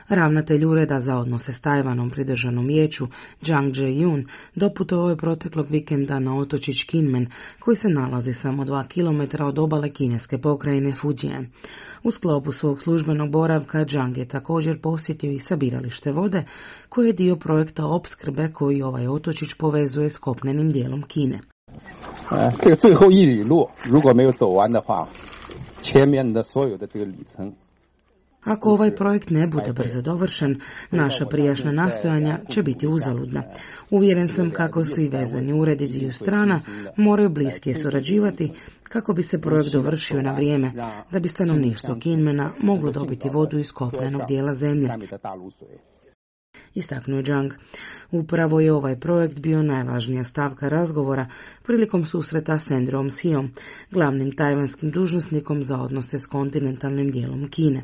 Ravnatelj Ureda za odnose s Tajvanom pri državnom vijeću Zhang Zheyun doputovao je proteklog vikenda na otočić Kinmen, koji se nalazi samo 2 km od obale kineske pokrajine Fujian. U sklopu svog službenog boravka Zhang je također posjetio i sabiralište vode, koje je dio projekta opskrbe koji ovaj otočić povezuje s kopnenim dijelom Kine. 这个最后一里路如果没有走完的话，前面的所有的这个里程 Ako ovaj projekt ne bude brzo dovršen, naša prijašnja nastojanja će biti uzaludna. Uvjeren sam kako svi vezani uredi dviju strana moraju bliske surađivati kako bi se projekt dovršio na vrijeme, da bi stanovništvo Kinmena moglo dobiti vodu iz kopnenog dijela zemlje. Istaknuo Zhang. Upravo je ovaj projekt bio najvažnija stavka razgovora prilikom susreta s Andrewom Siom, glavnim tajvanskim dužnosnikom za odnose s kontinentalnim dijelom Kine.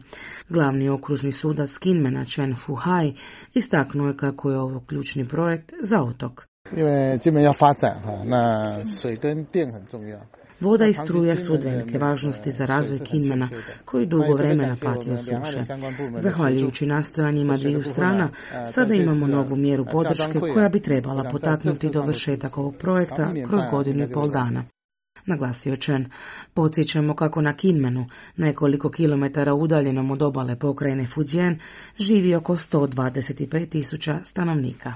Glavni okružni sudac Kinmena Chen Fuhai istaknuo je kako je ovo ključni projekt za otok. Voda i struja su od velike važnosti za razvoj Kinmena, koji dugo vremena pati od suše. Zahvaljujući nastojanjima dviju strana, sada imamo novu mjeru podrške koja bi trebala potaknuti dovršetak ovog projekta kroz 1,5 dana. Naglasio Chen. Podsjećamo kako na Kinmenu, nekoliko kilometara udaljenom od obale pokrajine Fujian, živi oko 125.000 stanovnika.